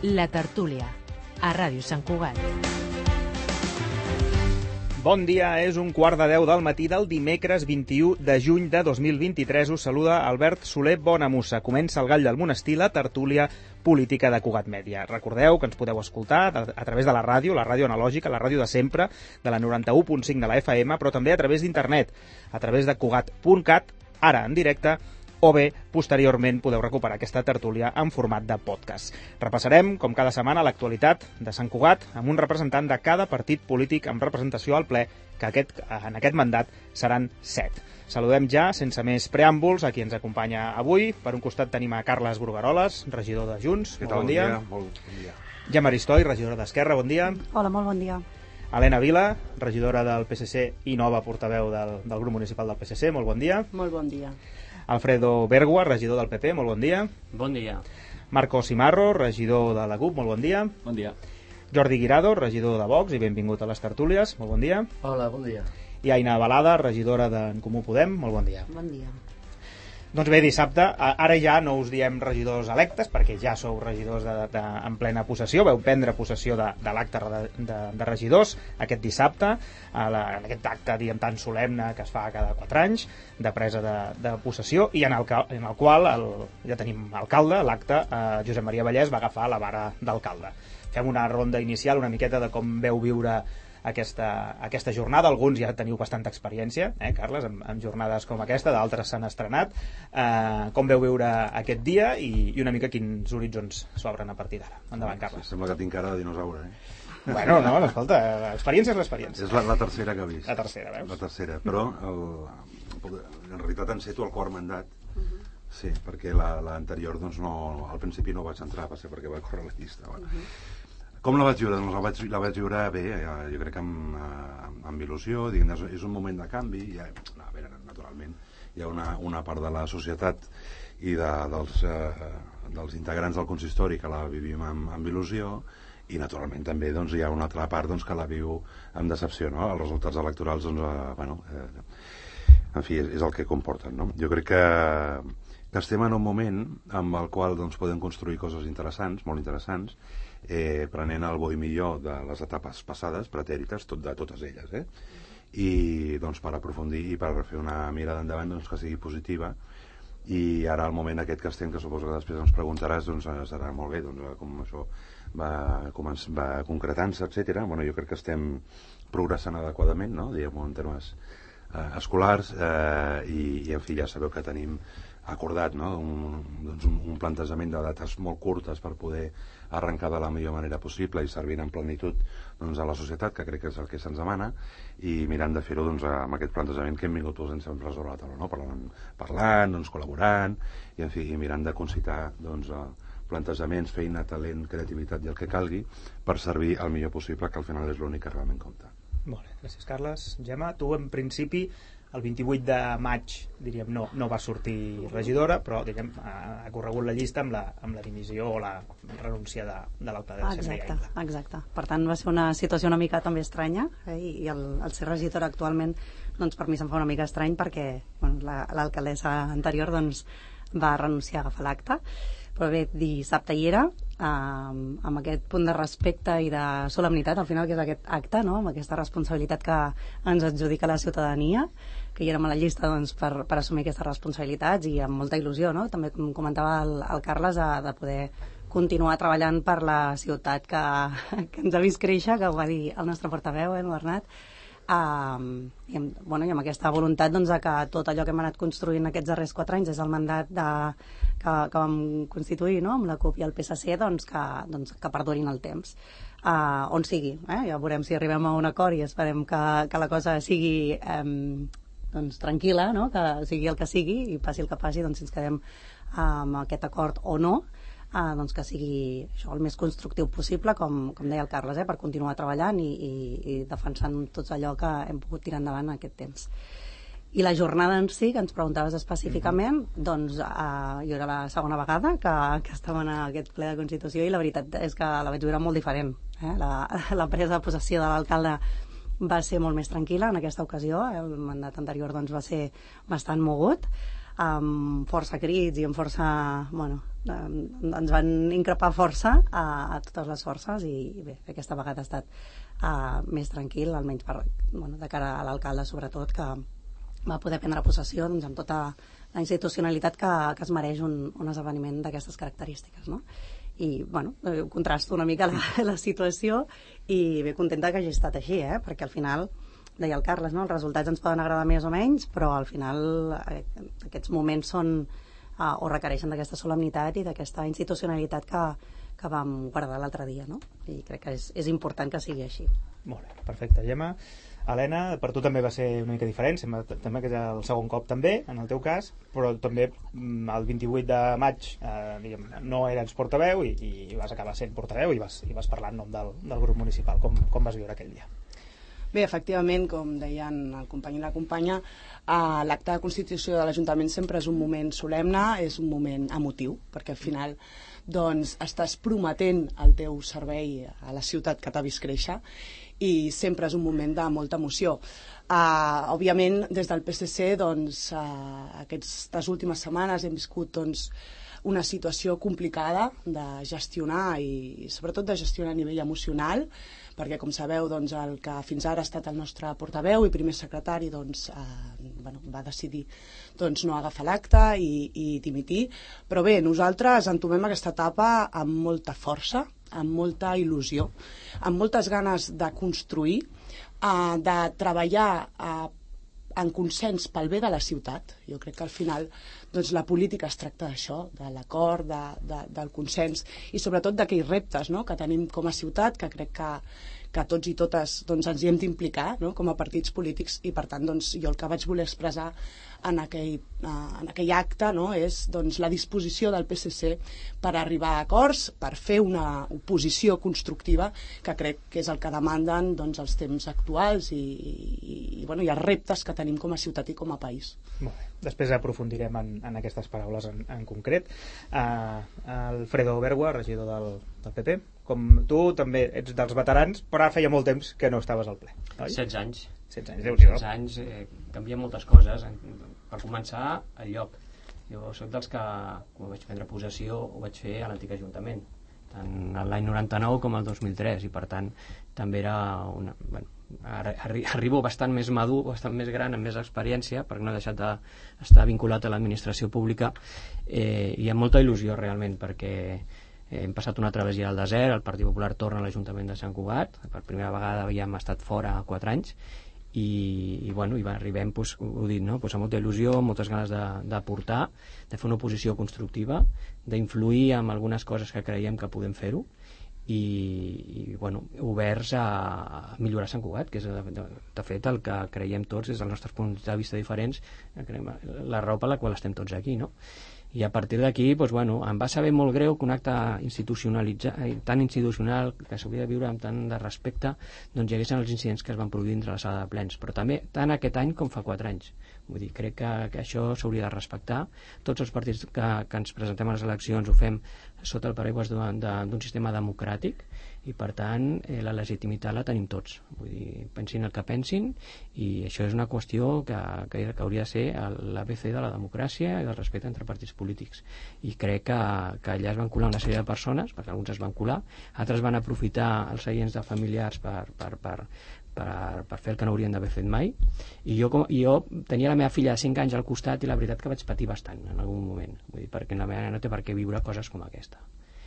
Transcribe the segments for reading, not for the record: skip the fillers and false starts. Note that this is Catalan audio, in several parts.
La Tertúlia, a Ràdio Sant Cugat. Bon dia, és 9:15 del matí del dimecres 21 de juny de 2023. Us saluda Albert Soler Bonamussa. Comença el Gall del Monestir, la tertúlia política de Cugat Mèdia. Recordeu que ens podeu escoltar a través de la ràdio analògica, la ràdio de sempre, de la 91.5 de la FM, però també a través d'internet, a través de cugat.cat, ara en directe, o bé, posteriorment, podeu recuperar aquesta tertúlia en format de podcast. Repassarem, com cada setmana, l'actualitat de Sant Cugat amb un representant de cada partit polític amb representació al ple, que en aquest mandat seran 7. Saludem ja, sense més preàmbuls, a qui ens acompanya avui. Per un costat tenim a Carles Brugueroles, regidor de Junts. Què tal? Bon dia. Bon dia. Gemma Aristoi, regidora d'Esquerra. Bon dia. Hola, molt bon dia. Helena Vila, regidora del PSC i nova portaveu del grup municipal del PSC. Molt bon dia. Molt bon dia. Alfredo Bergua, regidor del PP, molt bon dia. Bon dia. Marco Simarro, regidor de la CUP, molt bon dia. Bon dia. Jordi Guirado, regidor de Vox, i benvingut a les tertúlies, molt bon dia. Hola, bon dia. I Aina Balada, regidora d'en Comú Podem, molt bon dia. Bon dia. Doncs bé, dissabte, ara ja no us diem regidors electes, perquè ja sou regidors en plena possessió, veu prendre possessió de l'acte de regidors aquest dissabte, en aquest acte, diguem, tan solemne que es fa cada 4 anys, de presa de possessió, i en el qual ja tenim alcalde, l'acte, Josep Maria Vallès va agafar la vara d'alcalde. Fem una ronda inicial, una miqueta de com veu viure aquesta jornada. Alguns ja teniu bastanta experiència, Carles, amb jornades com aquesta, d'altres s'han estrenat. Com veu viure aquest dia i una mica quins horitzons s'obren a partir d'ara? Endavant, Carles. Sembla que tinc cara de dinosaure, Bueno, no, escolta, l'experiència és l'experiència. És la tercera que he vist. La tercera, veus? La tercera, però en realitat enceto el quart mandat. Sí, perquè l'anterior, doncs, al principi no vaig entrar, va ser perquè vaig córrer la llista. Com la vaig viure? Doncs la vaig viure bé, jo crec que amb il·lusió. És un moment de canvi. A veure, naturalment, hi ha una part de la societat i dels integrants del consistori que la vivim amb il·lusió, i naturalment també hi ha una altra part que la viu amb decepció, no? Els resultats electorals, en fi, és el que comporten, no? Jo crec que estem en un moment amb el qual podem construir coses interessants, molt interessants, prenent el bo i millor de les etapes passades, pretèrites, de totes elles, i per aprofundir i per fer una mirada endavant que sigui positiva. I ara el moment aquest que estem, que suposo que després ens preguntaràs, serà molt bé, com això va concretant-se, etc. Jo crec que estem progressant adequadament, no? Diguem-ho en termes escolars, i en fi, ja sabeu que tenim acordat, no? Un plantejament de dates molt curtes per poder arrencar de la millor manera possible i servir en plenitud a la societat, que crec que és el que se'ns demana, i mirant de fer-ho amb aquest plantejament que hem vingut posant sempre sobre la taula, no? Parlant, col·laborant, i en fi, mirant de concitar plantejaments, feina, talent, creativitat i el que calgui per servir el millor possible, que al final és l'únic que realment compta. Molt bé, gràcies, Carles. Gemma, tu en principi el 28 de maig, diríem, no va sortir regidora, però diguem, ha corregut la llista amb la dimissió o la renúncia de l'alcalde de Santa. Exacte. Per tant, va ser una situació una mica també estranya, i el ser regidora actualment, per mi se'm fa una mica estrany, perquè l'alcaldessa anterior va renunciar a agafar l'acte. Però bé, dissabte hi era, amb aquest punt de respecte i de solemnitat, al final, que és aquest acte, no? Amb aquesta responsabilitat que ens adjudica la ciutadania, que hi érem a la llista per assumir aquestes responsabilitats, i amb molta il·lusió, no? També, com comentava el Carles, de poder continuar treballant per la ciutat que ens ha vist créixer, que ho va dir el nostre portaveu, el Bernat, i amb aquesta voluntat de que tot allò que hem anat construint aquests darrers 4 anys, des del mandat que vam constituir, no? Amb la CUP i el PSC, que perdurin el temps, on sigui, ja veurem si arribem a un acord, i esperem que la cosa sigui tranquil·la, no? Que sigui el que sigui, i passi el que passi, si ens quedem amb aquest acord o no, que sigui això el més constructiu possible, com deia el Carles, per continuar treballant i defensant tot allò que hem pogut tirar endavant en aquest temps. I la jornada en si, que ens preguntaves específicament, jo era la segona vegada que estava en aquest ple de Constitució, i la veritat és que la vaig viure molt diferent. La presa de possessió de l'alcalde va ser molt més tranquil·la en aquesta ocasió. El mandat anterior va ser bastant mogut. amb força crits i amb força... Bueno, ens van increpar força a totes les forces i bé, aquesta vegada ha estat més tranquil, almenys de cara a l'alcalde sobretot, que va poder prendre possessió amb tota la institucionalitat que es mereix un esdeveniment d'aquestes característiques, no? I, contrasto una mica la situació i bé contenta que hagi estat així, perquè al final, deia el Carles, no? Els resultats ens poden agradar més o menys, però al final aquests moments són o requereixen d'aquesta solemnitat i d'aquesta institucionalitat que vam guardar l'altre dia, no? I crec que és important que sigui així. Molt bé, perfecte. Gemma, Helena, per tu també va ser una mica diferent, sembla que és el segon cop també, en el teu cas, però també el 28 de maig no eres portaveu i vas acabar sent portaveu i vas parlar en nom del grup municipal. Com vas viure aquell dia? Bé, efectivament, com deien el company i la companya, l'acte de constitució de l'Ajuntament sempre és un moment solemne, és un moment emotiu, perquè al final estàs prometent el teu servei a la ciutat que t'ha vist créixer i sempre és un moment de molta emoció. Òbviament, des del PSC, aquestes últimes setmanes hem viscut una situació complicada de gestionar i sobretot de gestionar a nivell emocional, perquè com sabeu el que fins ara ha estat el nostre portaveu i primer secretari va decidir no agafar l'acte i dimitir, però bé, nosaltres entomem aquesta etapa amb molta força, amb molta il·lusió, amb moltes ganes de construir, de treballar en consens pel bé de la ciutat. Jo crec que al final la política es tracta d'això, de l'acord, del consens i sobretot d'aquells reptes que tenim com a ciutat, que crec que tots i totes ens hi hem d'implicar com a partits polítics i per tant jo el que vaig voler expressar en aquell acte és la disposició del PSC per arribar a acords, per fer una oposició constructiva que crec que és el que demanden els temps actuals i els reptes que tenim com a ciutat i com a país. Molt bé. Després aprofundirem en aquestes paraules en concret. Alfredo Bergua, regidor del PP, com tu també ets dels veterans, però feia molt temps que no estaves al ple, oi? 16 anys. 16 anys, canvien moltes coses. Per començar, el lloc. Jo soc dels que, quan vaig prendre possessió, ho vaig fer a l'antic Ajuntament, tant l'any 99 com el 2003, i per tant també era arribo bastant més madur, bastant més gran, amb més experiència, perquè no he deixat d'estar vinculat a l'administració pública, i amb molta il·lusió realment, perquè hem passat una travessia al desert, el Partit Popular torna a l'Ajuntament de Sant Cugat, per primera vegada havíem estat fora 4 anys, i arribem, ho dic, amb molta il·lusió, amb moltes ganes d'aportar, de fer una oposició constructiva, d'influir en algunes coses que creiem que podem fer-ho, i oberts a millorar Sant Cugat, que és de fet el que creiem tots des dels nostres punts de vista diferents, la raó per la qual estem tots aquí, no? I a partir d'aquí, em va saber molt greu que un acte tan institucional, que s'hauria de viure amb tant de respecte, hi haguessin els incidents que es van produir dintre la sala de plens, però també tant aquest any com fa 4 anys. Vull dir, crec que això s'hauria de respectar. Tots els partits que ens presentem a les eleccions ho fem sota el paraigües d'un sistema democràtic i, per tant, la legitimitat la tenim tots. Vull dir, pensin el que pensin, i això és una qüestió que hauria de ser l'ABC de la democràcia i del respecte entre partits polítics. I crec que allà es van colar una sèrie de persones, perquè alguns es van colar, altres van aprofitar els seients de familiars per fer el que no haurien d'haver fet mai, i jo tenia la meva filla de 5 anys al costat i la veritat que vaig patir bastant en algun moment, vull dir, perquè la meva nena no té per què viure coses com aquesta.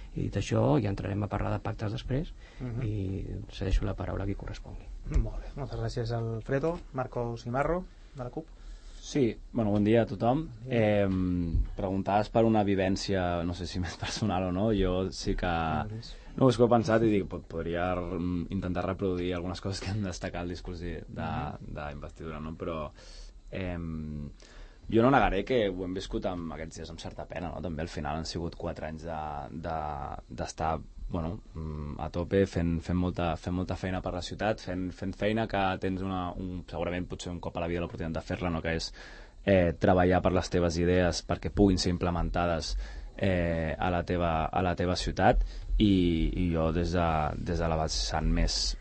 I dit això, ja entrarem a parlar de pactes després, i cedeixo la paraula a qui correspongui. Molt bé, moltes gràcies Alfredo. Marco Simarro, de la CUP. Sí, bon dia a tothom. Preguntaves per una vivència, no sé si més personal o no. Jo sí que... No, és que ho he pensat i dic, podria intentar reproduir algunes coses que hem destacat al discurs d'investidura, no? Però jo no negaré que ho hem viscut aquests dies amb certa pena, no? També al final han sigut 4 anys d'estar a tope fent molta feina per la ciutat, fent feina que tens segurament potser un cop a la vida l'oportunitat de fer-la, no? Que és treballar per les teves idees perquè puguin ser implementades a la teva ciutat, i jo des de la vessant més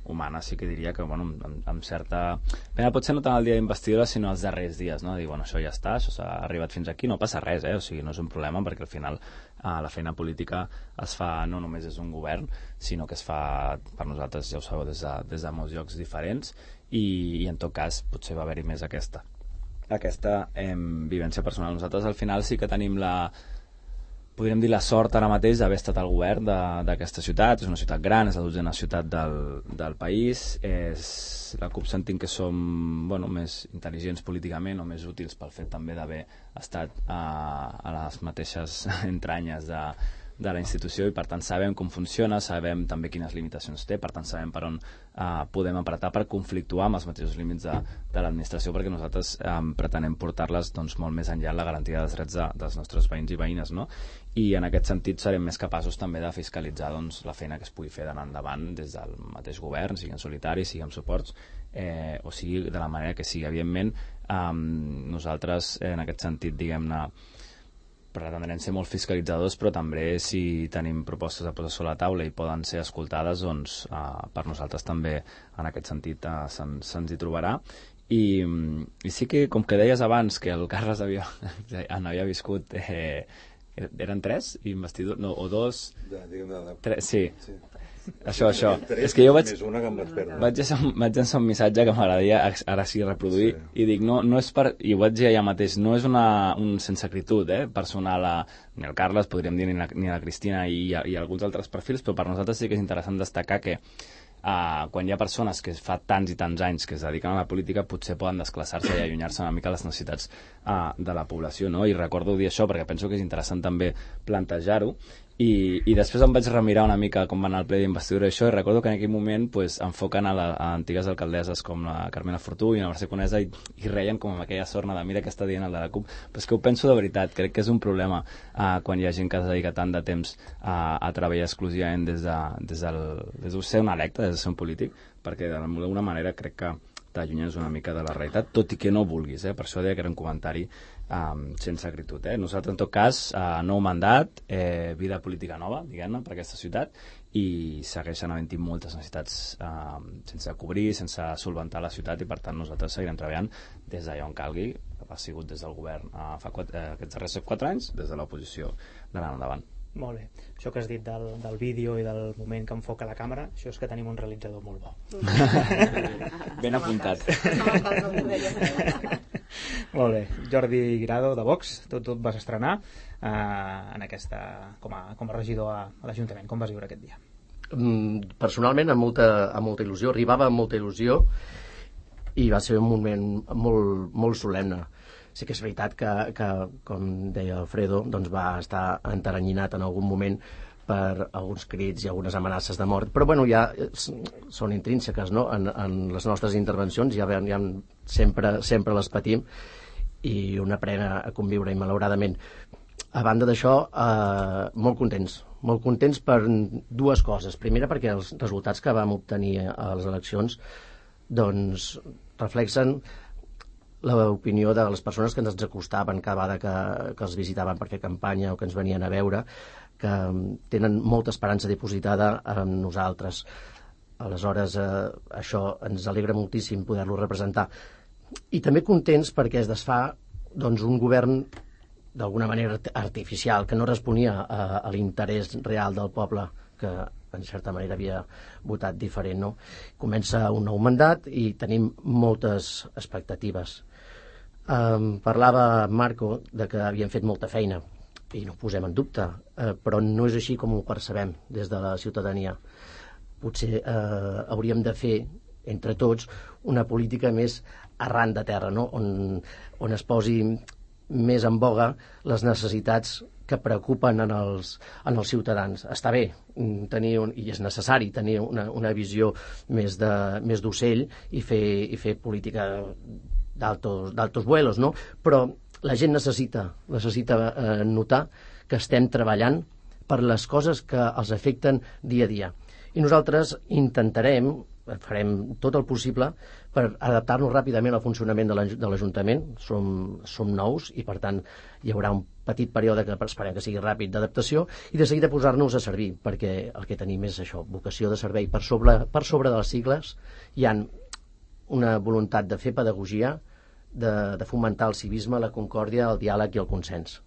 humana sí que diria que amb certa pena, potser no tant el dia d'investidura sinó els darrers dies, no? Dir, això ja està, això s'ha arribat fins aquí, no passa res, o sigui, no és un problema, perquè al final la feina política es fa no només des d'un govern, sinó que es fa per nosaltres, ja ho sabeu, des de molts llocs diferents, i en tot cas potser va haver-hi més aquesta vivència personal. Nosaltres al final sí que tenim podríem dir la sort ara mateix d'haver estat al govern d'aquesta ciutat. És una ciutat gran, és la 12ª ciutat del país. La CUP sentim que som més intel·ligents políticament o més útils pel fet també d'haver estat a les mateixes entranyes de la institució, i per tant sabem com funciona, sabem també quines limitacions té, per tant sabem per on podem apretar per conflictuar amb els mateixos límits de l'administració, perquè nosaltres pretenem portar-les molt més enllà en la garantia dels drets dels nostres veïns i veïnes, no? I en aquest sentit serem més capaços també de fiscalitzar la feina que es pugui fer d'anar endavant des del mateix govern, sigui en solitari, sigui amb suports, o sigui de la manera que sigui. Evidentment, nosaltres en aquest sentit, diguem-ne, pretendrem ser molt fiscalitzadors, però també si tenim propostes a posar sobre la taula i poden ser escoltades, doncs per nosaltres també en aquest sentit se'ns hi trobarà. I sí que, com que deies abans que el Carles havia viscut eren 3 investidures, no, o 2 3, sí. Això. És que jo vaig llançar un missatge que m'agradaria ara sí reproduir, i dic, no és per, i ho vaig dir allà mateix, no és un sense acritud personal ni el Carles, podríem dir, ni la Cristina i alguns altres perfils, però per nosaltres sí que és interessant destacar que quan hi ha persones que fa tants i tants anys que es dediquen a la política, potser poden desclassar-se i allunyar-se una mica les necessitats de la població, no? I recordo dir això perquè penso que és interessant també plantejar-ho. I després em vaig remirar una mica com va anar el ple d'investidura i això, i recordo que en aquell moment enfoquen a antigues alcaldesses com la Carmena Fortú i la Mercè Conesa i reien com amb aquella sorna de mira què està dient el de la CUP. Però és que ho penso de veritat, crec que és un problema quan hi ha gent que es dedica tant de temps a treballar exclusivament des de ser un electe, des de ser un polític, perquè d'alguna manera crec que t'allunyes una mica de la realitat, tot i que no vulguis, per això deia que era un comentari sense acritud. Nosaltres, en tot cas, nou mandat, vida política nova, diguem-ne, per aquesta ciutat, i segueixen havent-hi moltes necessitats sense cobrir, sense solventar la ciutat, i per tant nosaltres seguirem treballant des d'allà on calgui. Ha sigut des del govern aquests darrers 4 anys, des de l'oposició d'anar endavant. Molt bé. Això que has dit del vídeo i del moment que enfoca la càmera, això és que tenim un realitzador molt bo. Ben apuntat. Molt bé. Jordi Grado, de Vox, tu et vas estrenar en aquesta, com a regidor a l'Ajuntament. Com vas viure aquest dia? Personalment, amb molta il·lusió. Arribava amb molta il·lusió i va ser un moment molt, molt solemne. Sí que és veritat que com deia Alfredo, doncs va estar enteranyinat en algun moment per alguns crits i algunes amenaces de mort, però bueno, ja són intrínseques, no? En les nostres intervencions ja sempre les patim i un aprèn a conviure, i malauradament. A banda d'això, molt contents per 2 coses. Primera, perquè els resultats que vam obtenir a les eleccions doncs reflexen l'opinió de les persones que ens acostaven cada vegada que els visitaven per fer campanya o que ens venien a veure, que tenen molta esperança dipositada en nosaltres. Aleshores, això ens alegra moltíssim poder-lo representar. I també contents perquè es desfà un govern d'alguna manera artificial, que no responia a l'interès real del poble, que en certa manera havia votat diferent, no? Comença un nou mandat i tenim moltes expectatives. Parlava Marco de que havien fet molta feina i no ho posem en dubte, però no és així com ho percebem des de la ciutadania. Potser hauríem de fer entre tots una política més arran de terra, no? On es posi més en boga les necessitats que preocupen en els ciutadans. Està bé tenir i és necessari tenir una visió més d'ocell i fer política d'altos vuelos, no? Però la gent necessita notar que estem treballant per les coses que els afecten dia a dia. I nosaltres intentarem farem tot el possible per adaptar-nos ràpidament al funcionament de l'Ajuntament. Som nous i, per tant, hi haurà un petit període que esperem que sigui ràpid d'adaptació i de seguida posar-nos a servir, perquè el que tenim és això, vocació de servei. Per sobre de les sigles hi ha una voluntat de fer pedagogia, de fomentar el civisme, la concòrdia, el diàleg i el consens.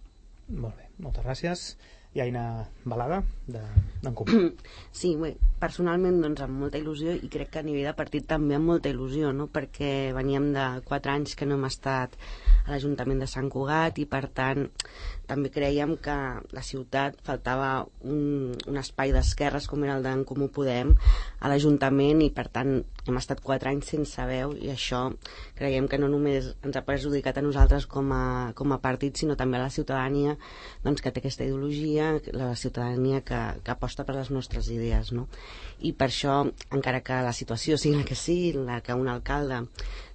Molt bé, moltes gràcies. I Aina Balada, d'en Comú. Sí, bé, personalment doncs, amb molta il·lusió, i crec que a nivell de partit també amb molta il·lusió, no? Perquè veníem de 4 anys que no hem estat a l'Ajuntament de Sant Cugat i, per tant, també creiem que la ciutat faltava un espai d'esquerres com era el d'en Comú Podem a l'Ajuntament, i per tant hem estat 4 anys sense veu, i això creiem que no només ens ha perjudicat a nosaltres com a partit, sinó també a la ciutadania, doncs, que té aquesta ideologia, la ciutadania que aposta per les nostres idees, no? I per això, encara que la situació sigui la que sigui, la que un alcalde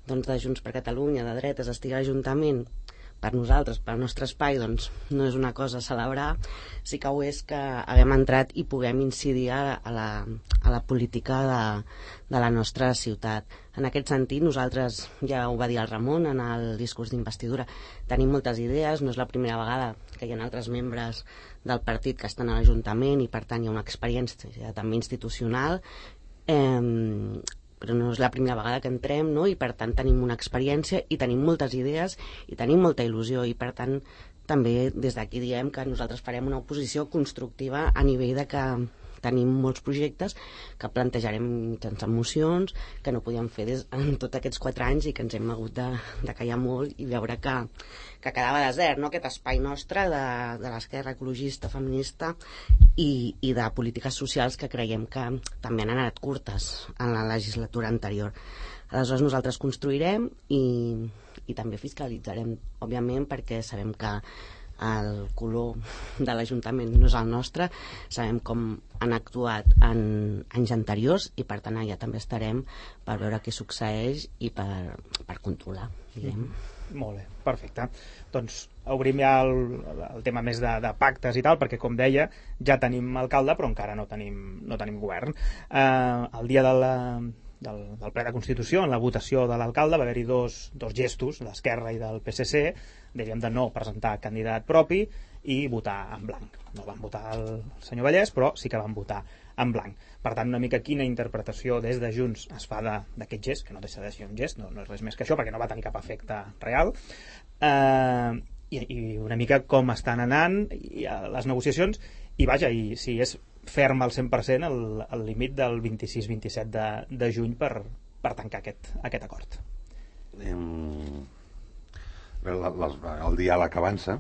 doncs, de Junts per Catalunya, de dretes, estigui a l'Ajuntament, per nosaltres, pel nostre espai, doncs no és una cosa a celebrar. Sí que ho és que haguem entrat i puguem incidir a la política de la nostra ciutat. En aquest sentit, nosaltres, ja ho va dir el Ramon en el discurs d'investidura, tenim moltes idees, no és la primera vegada que hi ha altres membres del partit que estan a l'Ajuntament i, per tant, hi ha una experiència també institucional, però no és la primera vegada que entrem, no? I per tant tenim una experiència i tenim moltes idees i tenim molta il·lusió, i per tant també des d'aquí diem que nosaltres farem una oposició constructiva a nivell de que tenim molts projectes que plantejarem mitjançant mocions que no podíem fer en tots aquests 4 anys i que ens hem hagut de callar molt i veure que quedava desert, no? Aquest espai nostre de l'esquerra ecologista, feminista i de polítiques socials que creiem que també han anat curtes en la legislatura anterior. Aleshores nosaltres construirem i també fiscalitzarem, òbviament, perquè sabem que el color de l'Ajuntament no és el nostre, sabem com han actuat en anys anteriors i per tant allà també estarem per veure què succeeix i per controlar, diguem. Molt bé, perfecte. Doncs obrim ja el tema més de pactes i tal, perquè com deia ja tenim alcalde però encara no tenim govern. El dia del ple de Constitució, en la votació de l'alcalde, va haver-hi dos gestos, d'Esquerra i del PSC, diríem de no presentar candidat propi i votar en blanc. No van votar el senyor Vallès, però sí que van votar en blanc. Per tant, una mica quina interpretació des de Junts es fa d'aquest gest, que no deixa de ser un gest, no és res més que això, perquè no va tenir cap efecte real, i una mica com estan anant les negociacions, i vaja, i si és ferm al 100% el límit del 26-27 de juny per tancar aquest acord. El diàleg avança,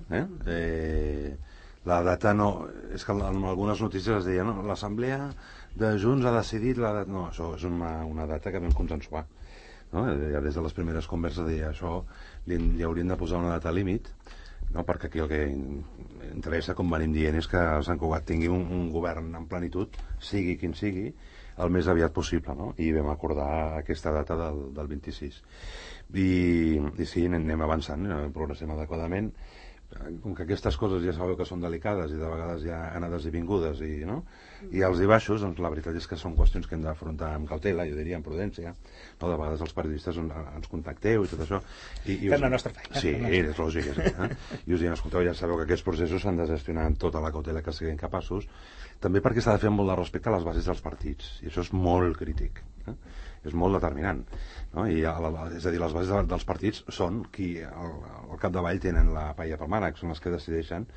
la data no... És que en algunes notícies es deia l'assemblea de Junts ha decidit no, això és una data que vam consensuar, no? Ja des de les primeres converses deia això li haurien de posar una data límit, no? Perquè aquí el que interessa, com venim dient, és que Sant Cugat tingui un govern en plenitud, sigui quin sigui, el més aviat possible, no? I vam acordar aquesta data del 26. I sí, anem avançant, progressem adequadament. Com que aquestes coses ja sabeu que són delicades i de vegades hi ha anades i vingudes i alts i baixos, doncs la veritat és que són qüestions que hem d'afrontar amb cautela, jo diria amb prudència, no? De vegades els periodistes ens contacteu i tot això fem la nostra feina. Sí, és lògic, i us diem, escolteu, ja sabeu que aquests processos s'han de gestionar amb tota la cautela que siguin capaços, també perquè s'ha de fer molt de respecte a les bases dels partits, i això és molt crític, és molt determinant, no? És a dir, les bases dels partits són qui al capdavall tenen la paella pel mànec, són les que decideixen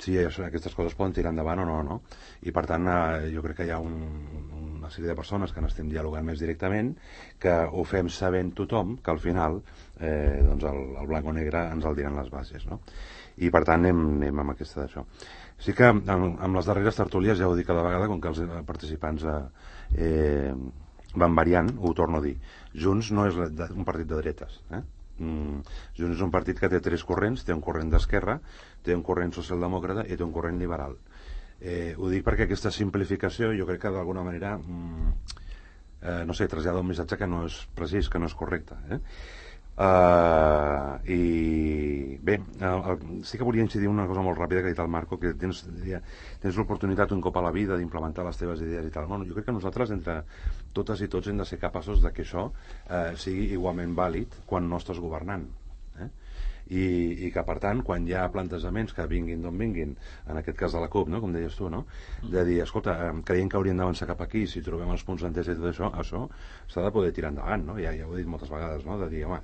si aquestes coses poden tirar endavant o no? I per tant jo crec que hi ha una sèrie de persones que n'estem dialogant més directament, que ho fem sabent tothom que al final doncs el blanc o negre ens el diran les bases, no? I per tant anem amb aquesta d'això. Sí que amb les darreres tertúlies, ja ho dic cada vegada, com que els participants van variant, ho torno a dir, Junts no és un partit de dretes, Junts és un partit que té 3 corrents, té un corrent d'esquerra, té un corrent socialdemòcrata i té un corrent liberal. Ho dic perquè aquesta simplificació jo crec que d'alguna manera no sé, trasllada un missatge que no és precís, que no és correcte, I bé, sí que volia incidir una cosa molt ràpida que ha dit el Marco, que tens l'oportunitat un cop a la vida d'implementar les teves idees i tal. Bueno, jo crec que nosaltres, entre totes i tots, hem de ser capaços de que això sigui igualment vàlid quan no estàs governant. I que, per tant, quan hi ha plantejaments que vinguin d'on vinguin, en aquest cas de la CUP, no? Com deies tu, no? De dir, escolta, creiem que hauríem d'avançar cap aquí, si trobem els punts d'entesa i tot això s'ha de poder tirar endavant, no? Ja ho he dit moltes vegades, no? De dir, home,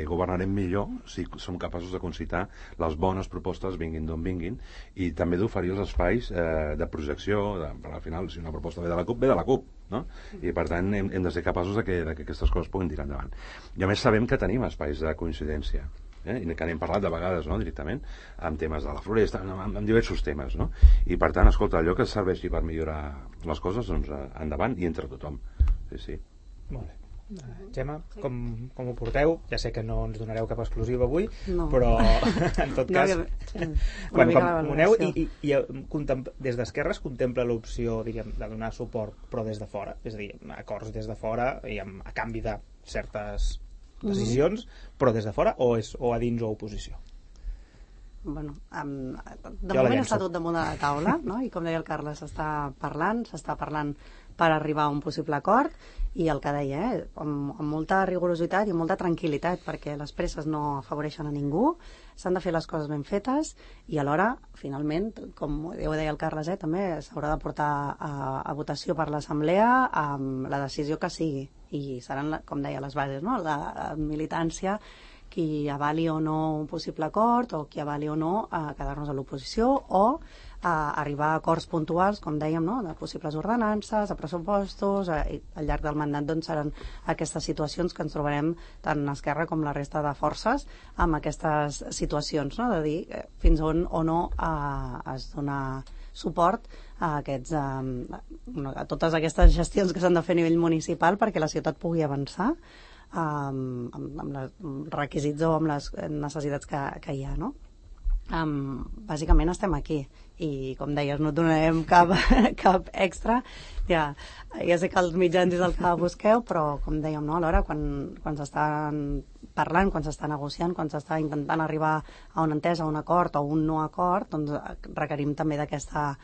governarem millor si som capaços de concitar les bones propostes, vinguin d'on vinguin, i també d'oferir els espais de projecció, al final, si una proposta ve de la CUP, ve de la CUP, no? I per tant hem de ser capaços de que aquestes coses puguin tirar endavant. I a més sabem que tenim espais de coincidència, i que n'hem parlat de vegades, no? Directament, amb temes de la floresta, amb diversos temes, no? I per tant, escolta, allò que serveixi per millorar les coses, doncs endavant i entre tothom. Sí. Molt bé. Gemma, com ho porteu? Ja sé que no ens donareu cap exclusiva avui, no. Però en tot cas quan aneu i des d'Esquerra es contempla l'opció, diríem, de donar suport però des de fora, és a dir, acords des de fora i a canvi de certes decisions, però des de fora o a dins o a oposició? Bueno, de moment està tot damunt de la taula, no? I com deia el Carles, s'està parlant per arribar a un possible acord, i el que deia, amb molta rigorositat i amb molta tranquil·litat, perquè les presses no afavoreixen a ningú, s'han de fer les coses ben fetes i alhora, finalment, com ho deia el Carles, també s'haurà de portar a votació per l'Assemblea amb la decisió que sigui, i seran, com deia, les bases, no? La militància, qui avali o no un possible acord o qui avali o no quedar-nos a l'oposició o arribar a acords puntuals, com dèiem, no? De possibles ordenances, de pressupostos, i al llarg del mandat doncs, seran aquestes situacions que ens trobarem tant Esquerra com la resta de forces amb aquestes situacions, no? De dir fins on o no es dona suport a totes aquestes gestions que s'han de fer a nivell municipal perquè la ciutat pugui avançar amb els requisits o amb les necessitats que hi ha, no? Bàsicament estem aquí i com deies no donarem cap extra, ja sé que els mitjans és el que busqueu, però com dèiem, no? Alhora quan s'estan parlant, quan s'està negociant, quan s'està intentant arribar a una entesa, a un acord o un no acord, doncs requerim també d'aquesta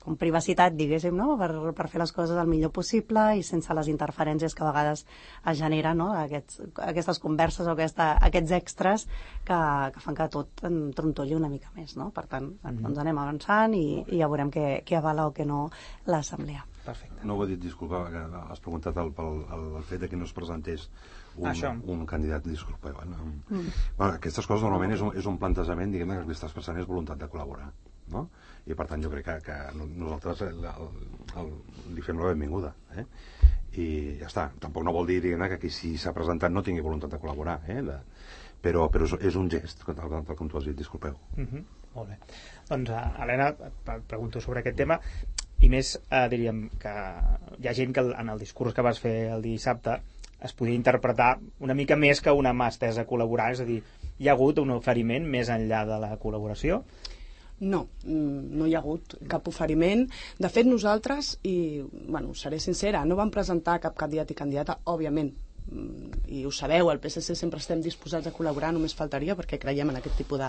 com privacitat, diguéssim, no? Per fer les coses el millor possible i sense les interferències que a vegades es generen, no? Aquestes converses o aquests extras que fan que tot trontolli una mica més, no? Per tant, doncs anem avançant i ja veurem què avala o què no l'Assemblea. Perfecte. No ho he dit, disculpa, que has preguntat el fet de que no es presentés un candidat, disculpa. Aquestes coses normalment és un plantejament, diguem-ne, que el que estàs pensant és voluntat de col·laborar, no? I per tant jo crec que nosaltres li fem la benvinguda, i ja està. Tampoc no vol dir, diguem-ne, que qui s'ha presentat no tingui voluntat de col·laborar, però és un gest, tal com tu has dit, disculpeu. Molt bé. Doncs, Helena, et pregunto sobre aquest tema, i més, diríem que hi ha gent que en el discurs que vas fer el dissabte es podia interpretar una mica més que una mà estesa a col·laborar, és a dir, hi ha hagut un oferiment més enllà de la col·laboració? No hi ha hagut cap oferiment. De fet, nosaltres, i seré sincera, no vam presentar cap candidat i candidata, òbviament, i ho sabeu, al PSC sempre estem disposats a col·laborar, només faltaria, perquè creiem en aquest tipus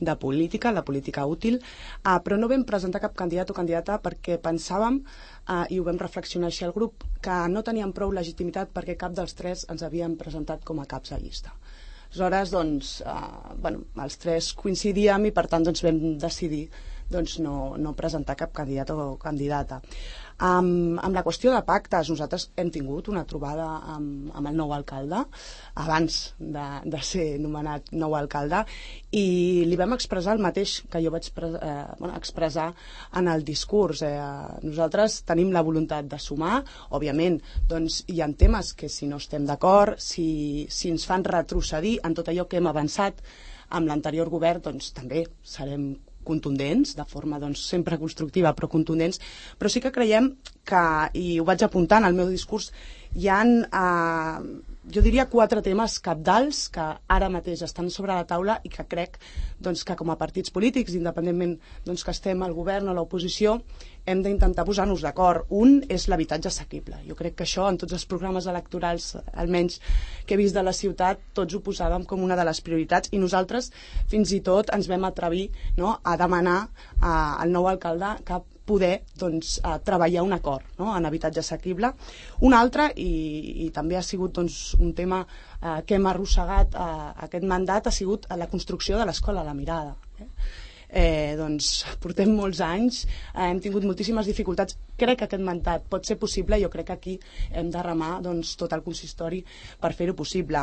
de política, la política útil, però no vam presentar cap candidat o candidata perquè pensàvem, i ho vam reflexionar així al grup, que no teníem prou legitimitat perquè cap dels tres ens havíem presentat com a caps de llista. Aleshores, doncs, els tres coincidíem i per tant doncs, vam decidir no presentar cap candidat o candidata. Amb la qüestió de pactes, nosaltres hem tingut una trobada amb el nou alcalde abans de ser nomenat nou alcalde i li vam expressar el mateix que jo vaig expressar en el discurs. Nosaltres tenim la voluntat de sumar, òbviament doncs, hi ha temes que si no estem d'acord, si ens fan retrocedir en tot allò que hem avançat amb l'anterior govern, doncs també serem contundents, de forma sempre constructiva però contundents, però sí que creiem que, i ho vaig apuntar en el meu discurs, hi ha jo diria 4 temes cabdals que ara mateix estan sobre la taula i que crec doncs, que com a partits polítics, independentment doncs, que estem al govern o a l'oposició, hem d'intentar posar-nos d'acord. Un és l'habitatge assequible. Jo crec que això en tots els programes electorals, almenys que he vist de la ciutat, tots ho posàvem com una de les prioritats i nosaltres fins i tot ens vam atrevir, no, a demanar al nou alcalde que poder doncs, treballar un acord, no?, en habitatge assequible. Un altre, i també ha sigut doncs, un tema que hem arrossegat aquest mandat, ha sigut la construcció de l'escola La Mirada. Doncs portem molts anys, hem tingut moltíssimes dificultats. Crec que aquest mandat pot ser possible i jo crec que aquí hem de remar doncs, tot el consistori per fer-ho possible.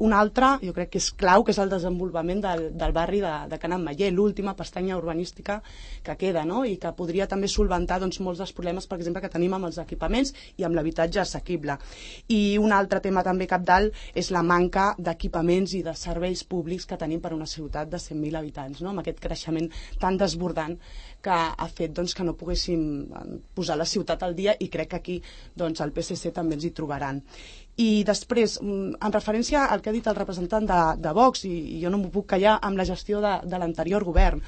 Un altre, jo crec que és clau, que és el desenvolupament del barri de Can Ametller, l'última pestanya urbanística que queda, no?, i que podria també solventar doncs, molts dels problemes, per exemple, que tenim amb els equipaments i amb l'habitatge assequible. I un altre tema també cabdal és la manca d'equipaments i de serveis públics que tenim per una ciutat de 100.000 habitants, no?, amb aquest creixement tan desbordant que ha fet doncs, que no poguéssim posar la ciutat al dia, i crec que aquí doncs, el PSC també ens hi trobaran. I després, en referència al que ha dit el representant de Vox, i jo no m'ho puc callar, amb la gestió de l'anterior govern.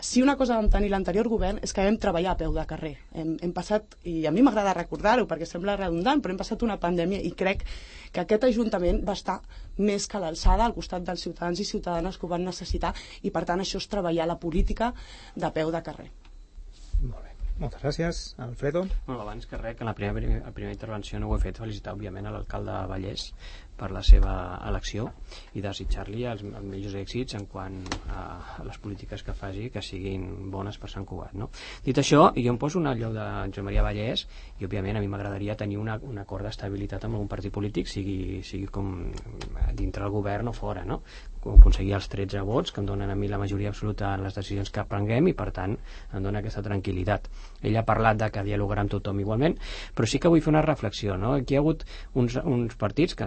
Si una cosa vam tenir l'anterior govern és que vam treballar a peu de carrer. Hem passat, i a mi m'agrada recordar-ho perquè sembla redundant, però hem passat una pandèmia i crec que aquest Ajuntament va estar més que a l'alçada al costat dels ciutadans i ciutadanes que ho van necessitar, i per tant això és treballar la política de peu de carrer. Molt bé. Moltes gràcies. Alfredo? Bueno, abans que res, que en la primera intervenció no ho he fet, felicitar òbviament a l'alcalde de Vallès per la seva elecció i desitjar-li els millors èxits en quant a les polítiques que faci, que siguin bones per Sant Cugat, no? Dit això, jo em poso un lloc de Josep Maria Vallès i òbviament a mi m'agradaria tenir un acord d'estabilitat amb algun partit polític, sigui com dintre el govern o fora, no? Aconseguir els 13 vots que em donen a mi la majoria absoluta en les decisions que prenguem i per tant em dona aquesta tranquil·litat. Ell ha parlat de que dialogarà amb tothom igualment, però sí que vull fer una reflexió, no? Aquí hi ha hagut uns partits que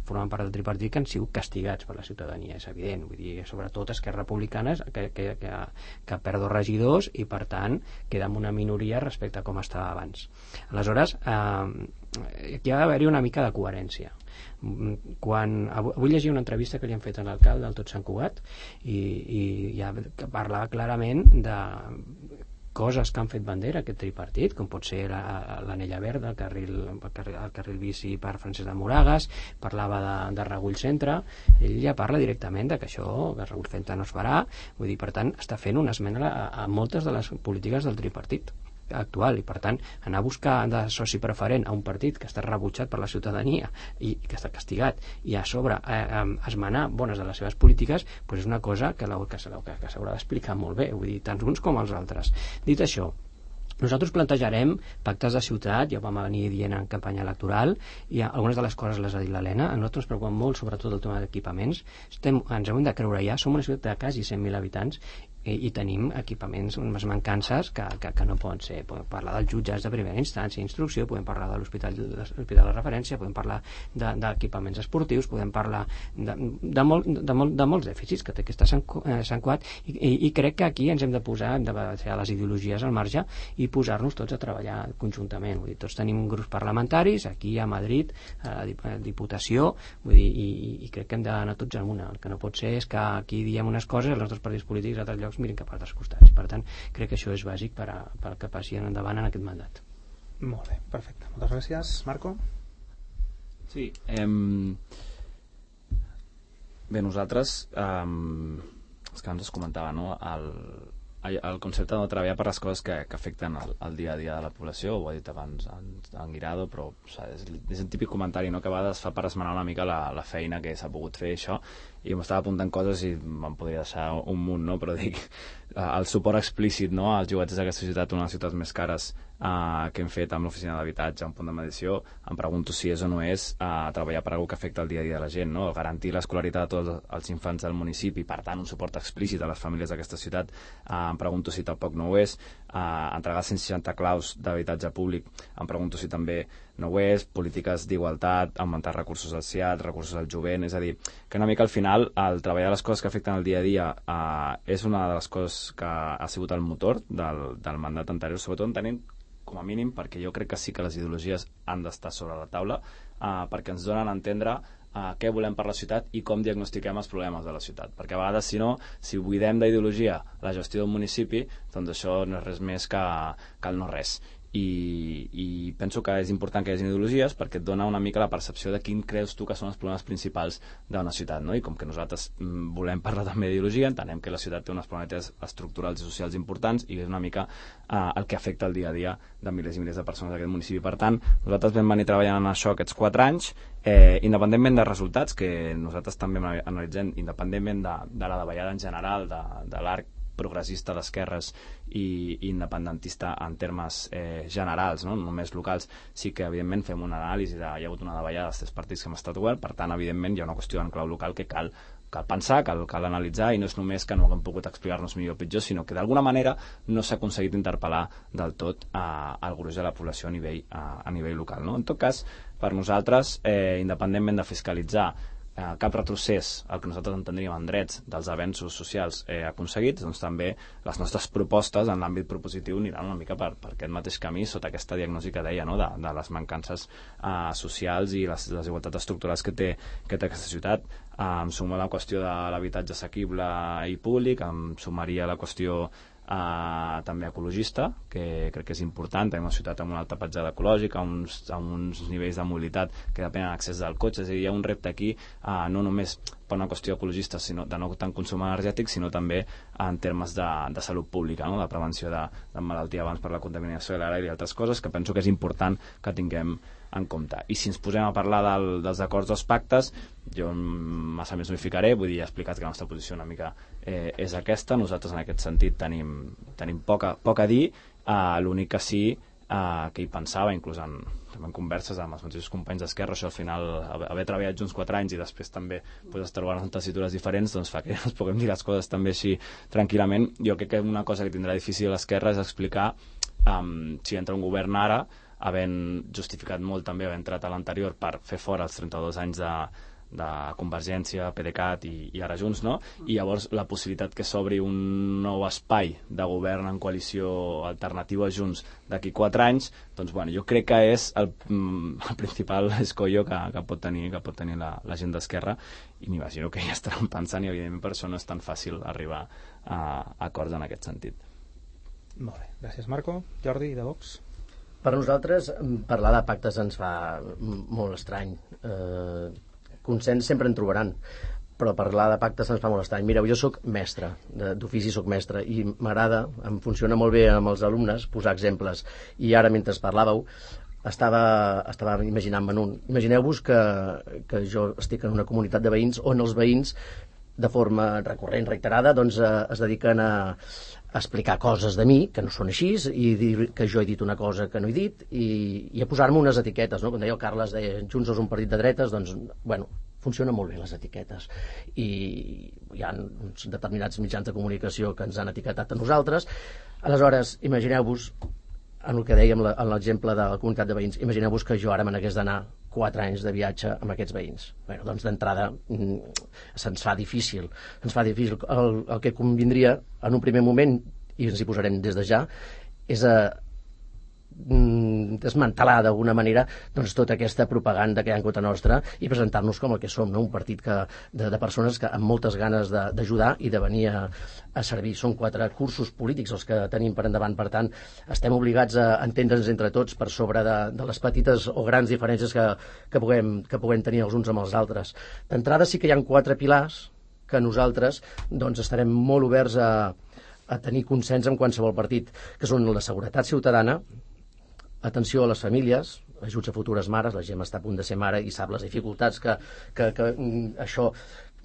formen part del tripartit que han sigut castigats per la ciutadania, és evident, vull dir, sobretot Esquerra Republicana que perd 2 regidors i per tant queda amb una minoria respecte a com estava abans. Aleshores, aquí ha d'haver-hi una mica de coherència. Avui llegia una entrevista que li han fet a l'alcalde del Tot Sant Cugat i ja parlava clarament de coses que han fet bandera aquest tripartit, com pot ser l'anella verda, el carril bici per Francesc de Moragas, parlava de Regull Centre. Ell ja parla directament de que això, que Regull Centre no es farà, vull dir, per tant, està fent una esmena a moltes de les polítiques del tripartit actual, i per tant anar a buscar de soci preferent a un partit que està rebutjat per la ciutadania i que està castigat i a sobre esmenar bones de les seves polítiques, doncs és una cosa que s'haurà d'explicar molt bé, vull dir, tant uns com els altres. Dit això, nosaltres plantejarem pactes de ciutat, ja ho vam venir dient en campanya electoral, i algunes de les coses les ha dit l'Helena. A nosaltres ens preocupa molt sobretot el tema d'equipaments. Ens hem de creure ja, som una ciutat de quasi 100.000 habitants i tenim equipaments, unes mancances que no poden ser. Podem parlar dels jutjats de primera instància, instrucció, podem parlar de l'hospital de referència, podem parlar d'equipaments esportius, podem parlar de molts dèficits que té aquesta Sant Cugat, i crec que aquí ens hem de posar, hem de deixar les ideologies al marge i posar-nos tots a treballar conjuntament. Vull dir, tots tenim grups parlamentaris, aquí a Madrid, a la Diputació, vull dir, i crec que hem d'anar tots en una. El que no pot ser és que aquí diem unes coses, els nostres partits polítics a altres llocs mirin cap a altres costats. Per tant, crec que això és bàsic per que passi endavant en aquest mandat. Molt bé, perfecte. Moltes gràcies. Marco? Sí, bé, nosaltres és que ens comentava, no?, el concepte de treballar per les coses que afecten el dia a dia de la població. Ho ha dit abans en Guirado, però és un típic comentari, no?, que a vegades fa per esmenar una mica la feina que s'ha pogut fer, això, i m'estava apuntant coses i me'n podria deixar un munt, no?, però dic, el suport explícit, no?, als llogaters d'aquesta ciutat, una de les ciutats més cares que hem fet amb l'oficina d'habitatge, un punt de mediació, em pregunto si és o no és treballar per alguna que afecta el dia a dia de la gent, no?, garantir l'escolaritat a tots els infants del municipi, per tant un suport explícit a les famílies d'aquesta ciutat, em pregunto si tampoc no ho és, entregar 160 claus d'habitatge públic, em pregunto si també no ho és, polítiques d'igualtat, augmentar recursos al CIAT, recursos al jovent, és a dir, que una mica al final el treballar les coses que afecten el dia a dia és una de les coses que ha sigut el motor del mandat anterior, sobretot entenent com a mínim, perquè jo crec que sí que les ideologies han d'estar sobre la taula, perquè ens donen a entendre què volem per la ciutat i com diagnostiquem els problemes de la ciutat. Perquè a vegades, si no, si buidem d'ideologia la gestió d'un municipi, doncs això no és res més que el no res. I penso que és important que hi hagi ideologies perquè et dona una mica la percepció de quin creus tu que són els problemes principals d'una ciutat, no? I com que nosaltres volem parlar també d'ideologia, entenem que la ciutat té unes problemes estructurals i socials importants i és una mica el que afecta el dia a dia de milers i milers de persones d'aquest municipi. Per tant, nosaltres vam venir treballant en això aquests 4 anys, independentment de resultats, que nosaltres també analitzem, independentment de la davallada en general, de l'arc progressista d'esquerres i independentista en termes generals, no només locals, sí que evidentment fem una anàlisi hi ha hagut una davallada dels 3 partits que hem estat govern, per tant evidentment hi ha una qüestió en clau local que cal pensar, cal analitzar, i no és només que no haguem pogut explicar-nos millor o pitjor, sinó que d'alguna manera no s'ha aconseguit interpel·lar del tot al gruix de la població a nivell local, no? En tot cas, per nosaltres, independentment de fiscalitzar cap retrocés el que nosaltres entendríem en drets dels avenços socials aconseguits, doncs també les nostres propostes en l'àmbit propositiu aniran una mica per aquest mateix camí, sota aquesta diagnosi que deia, no? de les mancances socials i les desigualtats estructurals que té aquesta ciutat. Em suma la qüestió de l'habitatge assequible i públic, em sumaria la qüestió també ecologista, que crec que és important. Tenim una ciutat amb una alta petjada ecològica, amb uns nivells de mobilitat que depenen de l'accés del cotxe, és a dir, hi ha un repte aquí no només per una qüestió ecologista, sinó de no tant consum energètic, sinó també en termes de salut pública, no? De prevenció de malaltia abans per la contaminació de l'aire i altres coses que penso que és important que tinguem en compte. I si ens posem a parlar dels acords dels pactes, jo massa més no hi ficaré, vull dir, he explicat que la nostra posició una mica és aquesta. Nosaltres en aquest sentit tenim poc a dir, l'únic que sí que hi pensava, inclús en converses amb els mateixos companys d'Esquerra, això al final, haver treballat junts 4 anys i després també estar trobant en tessitures diferents, doncs fa que ens puguem dir les coses també així tranquil·lament. Jo crec que una cosa que tindrà difícil l'Esquerra és explicar si entra un govern ara, havent justificat molt també haver entrat a l'anterior per fer fora els 32 anys de Convergència, PDeCAT i ara Junts, no? I llavors la possibilitat que s'obri un nou espai de govern en coalició alternativa a Junts d'aquí 4 anys, doncs bueno, jo crec que és el principal escollo que pot tenir la gent d'Esquerra, i m'imagino que ja estaran pensant, i evidentment per això no és tan fàcil arribar a acords en aquest sentit. Molt bé, gràcies Marco. Jordi, de Vox? Per nosaltres, parlar de pactes ens fa molt estrany. Consens sempre en trobaran, però parlar de pactes ens fa molt estrany. Mireu, jo sóc mestre, d'ofici sóc mestre, i m'agrada, em funciona molt bé amb els alumnes posar exemples. I ara, mentre parlàveu, estava imaginant-me'n un. Imagineu-vos que jo estic en una comunitat de veïns on els veïns, de forma recurrent, reiterada, doncs es dediquen a explicar coses de mi que no són així, i dir que jo he dit una cosa que no he dit, i a posar-me unes etiquetes, no? Quan deia el Carles, Junts és un partit de dretes, doncs, bueno, funcionen molt bé les etiquetes, i hi ha uns determinats mitjans de comunicació que ens han etiquetat a nosaltres. Aleshores, imagineu-vos, en el que dèiem, en l'exemple de la comunitat de veïns, imagineu-vos que jo ara me n'hagués d'anar 4 anys de viatge amb aquests veïns. Bé, doncs d'entrada se'ns fa difícil. El que convindria en un primer moment, i ens hi posarem des de ja, és desmantelar d'alguna manera doncs tota aquesta propaganda que hi ha en contra nostra i presentar-nos com el que som, no? Un partit de persones que amb moltes ganes d'ajudar i de venir a servir. Són 4 cursos polítics els que tenim per endavant, per tant estem obligats a entendre'ns entre tots per sobre de les petites o grans diferències que puguem tenir els uns amb els altres. D'entrada sí que hi ha 4 pilars que nosaltres doncs estarem molt oberts a tenir consens amb qualsevol partit, que són la seguretat ciutadana, atenció a les famílies, ajuts a futures mares, la gent està a punt de ser mare i sap les dificultats que això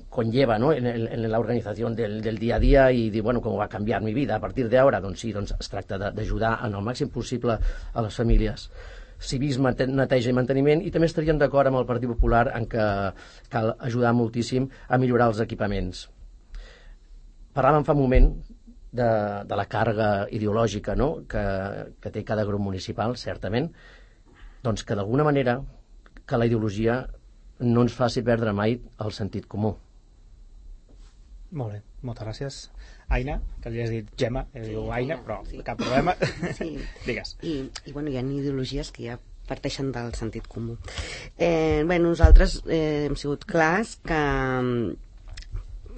conlleva, ¿no? en la organización del día a día, y dir, bueno, com va canviar mi vida a partir d'ara, doncs sí, doncs es tracta d'ajudar en el màxim possible a les famílies. Civisme, neteja i manteniment, i també estaríem d'acord amb el Partit Popular en que cal ajudar moltíssim a millorar els equipaments. Parlàvem fa un moment de la càrrega ideològica, no? que té cada grup municipal, certament, doncs que d'alguna manera que la ideologia no ens faci perdre mai el sentit comú. Molt bé, moltes gràcies. Aina, que li has dit Gemma, diu Aina, però cap problema. Sí. Digues. I bueno, hi ha ideologies que ja parteixen del sentit comú. Nosaltres hem sigut clars que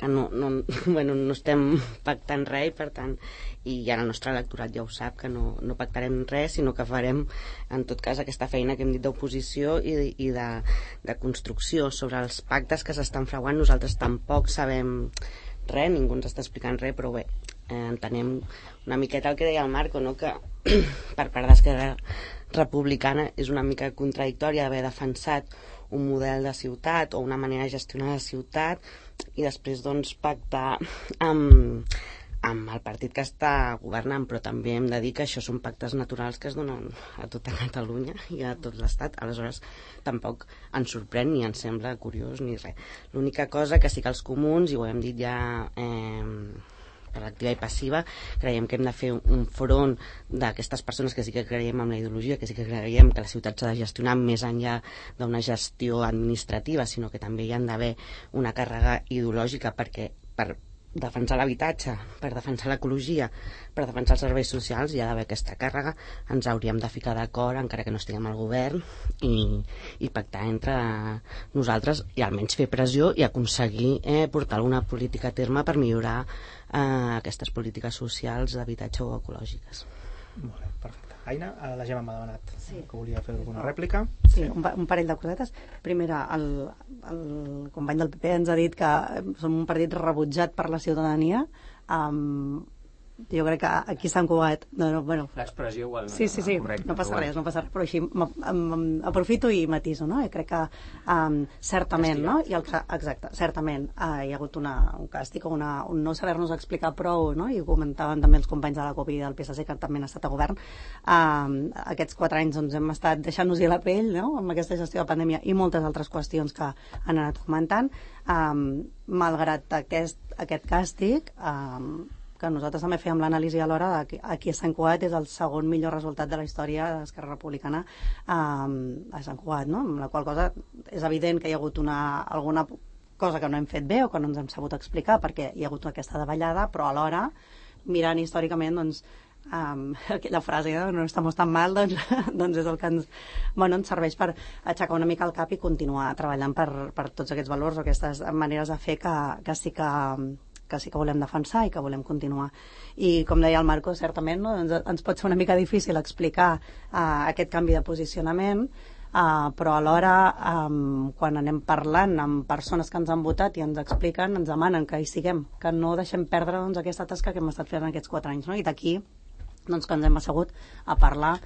no estem pactant res, per tant, i ja el nostre electorat ja ho sap, que no pactarem res, sinó que farem en tot cas aquesta feina que hem dit d'oposició i de construcció sobre els pactes que s'estan fraguant. Nosaltres tampoc sabem res, ningú ens està explicant res, però bé, entenem una miqueta el que deia el Marco, no? Que per part d'Esquerra Republicana és una mica contradictòria d'haver defensat un model de ciutat o una manera de gestionar la ciutat i després doncs pactar amb el partit que està governant, però també hem de dir que això són pactes naturals que es donen a tota Catalunya i a tot l'Estat. Aleshores tampoc ens sorprèn ni ens sembla curiós ni res. L'única cosa que sí que els comuns, i ho hem dit ja per activa i passiva, creiem que hem de fer un front d'aquestes persones que sí que creiem en la ideologia, que sí que creiem que la ciutat s'ha de gestionar més enllà d'una gestió administrativa, sinó que també hi ha d'haver una càrrega ideològica per defensar l'habitatge, per defensar l'ecologia, per defensar els serveis socials. Hi ha d'haver aquesta càrrega. Ens hauríem de ficar d'acord, encara que no estiguem al govern, i pactar entre nosaltres i almenys fer pressió i aconseguir portar alguna política a terme per millorar aquestes polítiques socials d'habitatge o ecològiques. Molt bé, perfecte. Aina, la Gemma m'ha demanat que volia fer alguna rèplica. Sí, un parell de cosetes. Primera, el company del PP ens ha dit que som un partit rebutjat per la ciutadania. Jo crec que aquí a Sant Cugat l'expressió igual sí, correcte, no passa res, però així aprofito i matiso, no? I crec que certament, no? Exacte, certament hi ha hagut un càstig o un no saber-nos explicar prou, no? I ho comentaven també els companys de la CUP i del PSC, que també han estat a govern. Aquests 4 anys doncs, hem estat deixant-nos-hi la pell, no? Amb aquesta gestió de pandèmia i moltes altres qüestions que han anat comentant. Malgrat aquest càstig, que nosaltres també fèiem l'anàlisi alhora de que aquí a Sant Cugat és el segon millor resultat de la història d'Esquerra Republicana a Sant Cugat, no? Amb la qual cosa és evident que hi ha hagut alguna cosa que no hem fet bé o que no ens hem sabut explicar perquè hi ha hagut aquesta davallada, però alhora, mirant històricament, doncs, aquella frase no estamos tan mal, doncs és el que ens serveix per aixecar una mica el cap i continuar treballant per tots aquests valors o aquestes maneres de fer que sí que volem defensar i que volem continuar. I com deia el Marco, certament ens pot ser una mica difícil explicar aquest canvi de posicionament, però alhora quan anem parlant amb persones que ens han votat i ens expliquen, ens demanen que hi siguem, que no deixem perdre aquesta tasca que hem estat fent aquests 4 anys, no? I d'aquí que ens hem assegut a parlar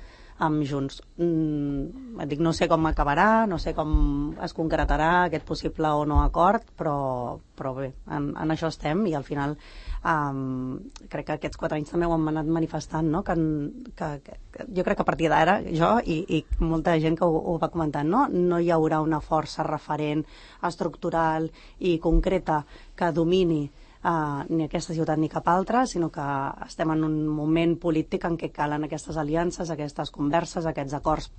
amb Junts. No sé com acabarà, no sé com es concretarà aquest possible o no acord, però bé, en això estem i al final crec que aquests 4 anys també ho hem anat manifestant, no? Que jo crec que a partir d'ara, jo i molta gent que ho va comentant, no hi haurà una força referent estructural i concreta que domini ni aquesta ciutat ni cap altra, sinó que estem en un moment polític en què calen aquestes aliances, aquestes converses, aquests acords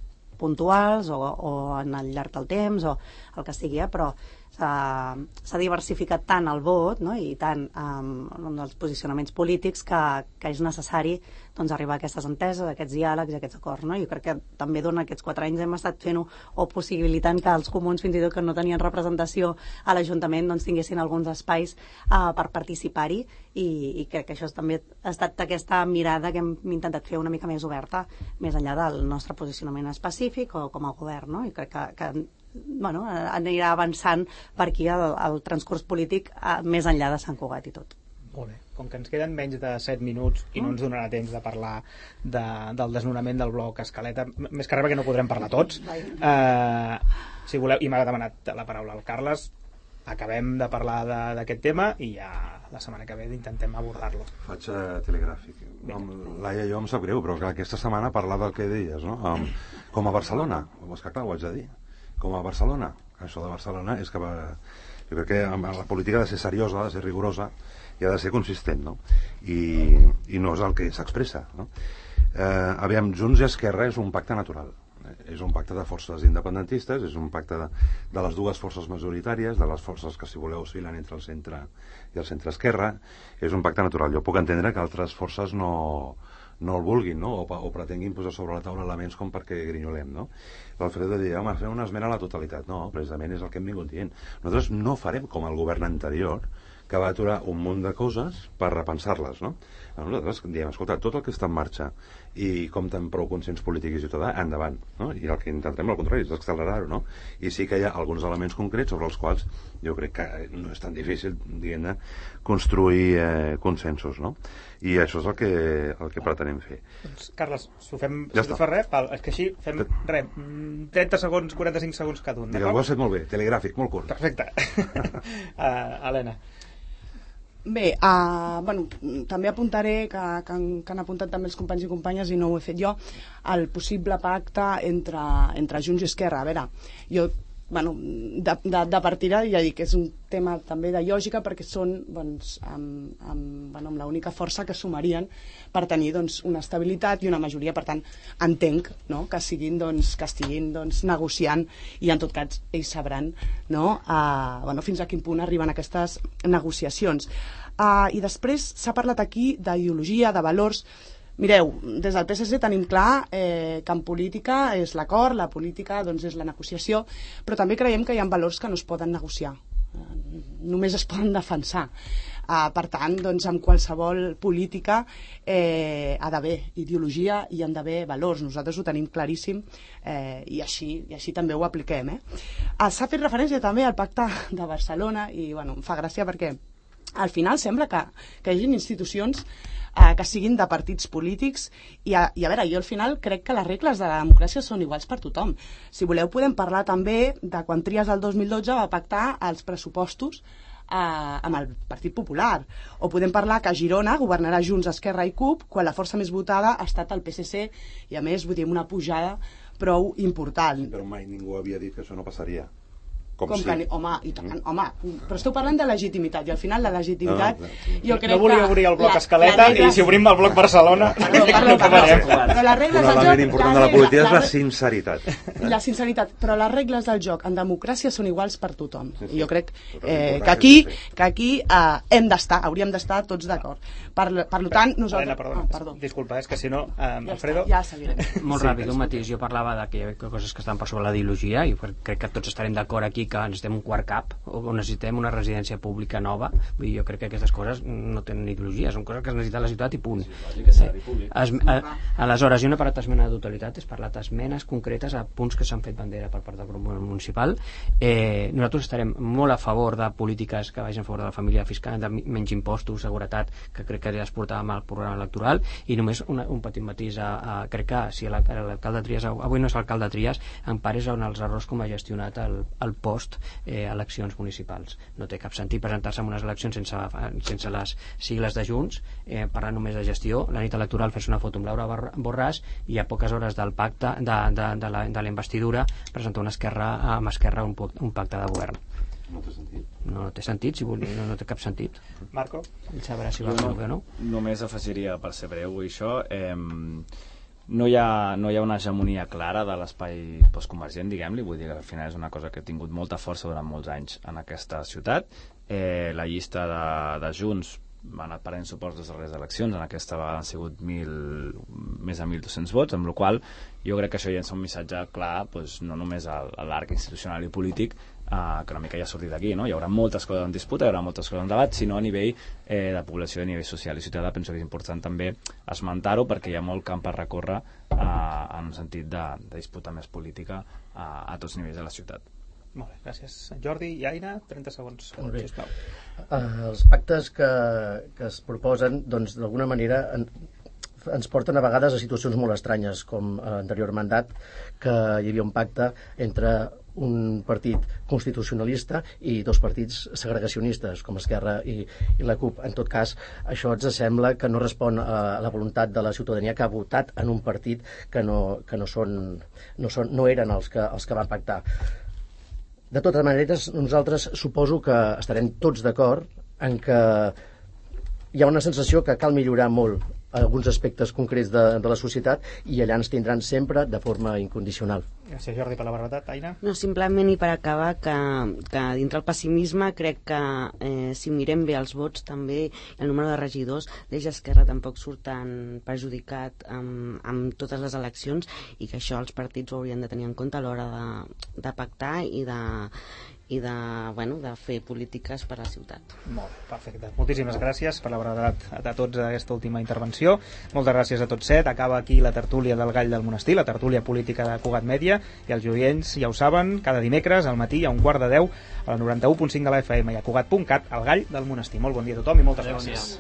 puntuals o en el llarg del temps o el que sigui, però s'ha diversificat tant el vot, no? I tant els posicionaments polítics que és necessari arribar a aquestes enteses, a aquests diàlegs i a aquests acords, no? Jo crec que també durant aquests 4 anys hem estat fent-ho o possibilitant que els comuns, fins i tot que no tenien representació a l'Ajuntament, tinguessin alguns espais per participar-hi i crec que això també ha estat aquesta mirada que hem intentat fer una mica més oberta, més enllà del nostre posicionament específic o com a govern, no? I crec que anirà avançant per aquí el transcurs polític més enllà de Sant Cugat i tot. Molt bé. Com que ens queden menys de 7 minuts i no ens donarà temps de parlar del desnonament del bloc Escaleta, més que res perquè no podrem parlar tots, si voleu, i m'ha demanat la paraula el Carles, acabem de parlar d'aquest tema i ja la setmana que ve intentem abordar-lo. Faig telegràfic. Laia, jo em sap greu, però aquesta setmana parlar del que deies, no? Com a Barcelona, és que clar, ho haig de dir, com a Barcelona, això de Barcelona és que jo crec que la política ha de ser seriosa, ha de ser rigorosa i ha de ser consistent, no? I no és el que s'expressa, no? Aviam, Junts i Esquerra és un pacte natural. És un pacte de forces independentistes, és un pacte de les dues forces majoritàries, de les forces que, si voleu, oscil·len entre el centre i el centre-esquerra. És un pacte natural. Jo puc entendre que altres forces no el vulguin, no? O pretenguin posar sobre la taula elements com perquè grinyolem, no? L'Alfredo deia, home, fem una esmena a la totalitat. No, precisament és el que hem vingut dient. Nosaltres no farem com el govern anterior, que va aturar un munt de coses per repensar-les, no? Nosaltres diem, escolta, tot el que està en marxa i compta amb prou consens polític i ciutadà, endavant, no? I el que intentarem, al contrari, és accelerar-ho, no? I sí que hi ha alguns elements concrets sobre els quals jo crec que no és tan difícil, diguem-ne, construir consensos, no? I això és el que pretenem fer. Doncs, Carles, si ho fem, Ja si tu està. fas res, és que així fem res, 30 segons, 45 segons cada un. Ho has fet molt bé, telegràfic, molt curt. Perfecte. Helena. Bé, bueno, també apuntaré que han apuntat també els companys i companyes i no ho he fet jo, el possible pacte entre Junts i Esquerra. A veure, jo, bueno, de partida ja dic que és un tema també de lògica perquè són doncs, amb l'única força que sumarien per tenir doncs, una estabilitat i una majoria. Per tant, entenc, no?, que estiguin negociant i en tot cas ells sabran, no?, fins a quin punt arriben aquestes negociacions. I després s'ha parlat aquí d'ideologia, de valors. Mireu, des del PSC tenim clar que en política és l'acord, la política doncs, és la negociació, però també creiem que hi ha valors que no es poden negociar, només es poden defensar. Per tant, doncs, en qualsevol política ha d'haver ideologia i han d'haver valors. Nosaltres ho tenim claríssim i així també ho apliquem. S'ha fet referència també al Pacte de Barcelona i bueno, em fa gràcia perquè al final sembla que hi hagi institucions que siguin de partits polítics i a veure, jo al final crec que les regles de la democràcia són iguals per tothom. Si voleu podem parlar també de quan Trias el 2012 va pactar els pressupostos amb el Partit Popular, o podem parlar que a Girona governarà Junts, Esquerra i CUP quan la força més votada ha estat el PSC i a més vull dir una pujada prou important. Però mai ningú havia dit que això no passaria. Home, i tant, però esteu parlant de legitimitat i al final la legitimitat jo crec que... No volia obrir el bloc Escaleta i si obrim el bloc Barcelona no acabarem. Però les regles del joc... L'element important de la política és la sinceritat. La sinceritat, però les regles del joc en democràcia són iguals per tothom. I jo crec que aquí hem d'estar, hauríem d'estar tots d'acord. Per tant, nosaltres... Perdó. Disculpa, és que si no, Alfredo... Ja seguirem. Molt ràpid, un matís. Jo parlava que hi havia coses que estan per sobre la ideologia i crec que tots estarem d'acord aquí que necessitem un quart cap o necessitem una residència pública nova. Vull dir, jo crec que aquestes coses no tenen ideologia, són coses que es necessita la ciutat i punt. Aleshores, jo no he parlat d'esmena de totalitat, he parlat d'esmenes concretes a punts que s'han fet bandera per part del grup municipal. Nosaltres estarem molt a favor de polítiques que vagin a favor de la família fiscal, de menys impostos, seguretat, que crec que ja es portava amb el programa electoral, i només un petit matís. Crec que si l'alcalde Trias, avui no és l'alcalde Trias, en part és on els errors com ha gestionat el post eleccions municipals. No té cap sentit presentar-se en unes eleccions sense les sigles de Junts, parlant només de gestió, la nit electoral fer-se una foto amb Laura Borràs i a poques hores del pacte de la investidura presentar amb Esquerra un pacte de govern. No té sentit. No té sentit, no té cap sentit. Marco? Ell sabrà si va fer o no. Només afegiria, per ser breu, això, no hi ha una hegemonia clara de l'espai postconvergent, diguem-li, vull dir que al final és una cosa que ha tingut molta força durant molts anys en aquesta ciutat. La llista de Junts ha anat perdent suports des de les eleccions, en aquesta vegada han sigut més de 1.200 vots, amb la qual jo crec que això ja és un missatge clar, doncs, no només a l'arc institucional i polític, que una mica ja ha sortit d'aquí, no? Hi haurà moltes coses en disputa, hi haurà moltes coses en debat, sinó a nivell de població, a nivell social i ciutadà. Penso que és important també esmentar-ho perquè hi ha molt camp per recórrer en un sentit de disputa més política a tots nivells de la ciutat. Molt bé, gràcies. Jordi i Aina, 30 segons, sisplau. Els pactes que es proposen, doncs, d'alguna manera ens porten a vegades a situacions molt estranyes, com a l'anterior mandat, que hi havia un pacte entre un partit constitucionalista i dos partits segregacionistes, com Esquerra i la CUP. En tot cas, això ens sembla que no respon a la voluntat de la ciutadania que ha votat en un partit que no eren els que van pactar. De totes maneres, nosaltres suposo que estarem tots d'acord en que hi ha una sensació que cal millorar molt alguns aspectes concrets de la societat, i allà ens tindran sempre de forma incondicional. Gràcies, Jordi, per la brevetat. Aina? No, simplement, i per acabar, que dintre el pessimisme crec que si mirem bé els vots també, el número de regidors, l'Eix Esquerra tampoc surt tan perjudicat amb totes les eleccions, i que això els partits ho haurien de tenir en compte a l'hora de pactar i de fer polítiques per a la ciutat. Molt perfecte. Moltíssimes gràcies per la brevetat de tots aquesta última intervenció. Moltes gràcies a tots set. Acaba aquí la tertúlia del Gall del Monestir, la tertúlia política de Cugat Mèdia, i els oients ja ho saben, cada dimecres al matí a 9:15 a la 91.5 de la FM i a Cugat.cat, al Gall del Monestir. Molt bon dia a tothom i moltes gràcies.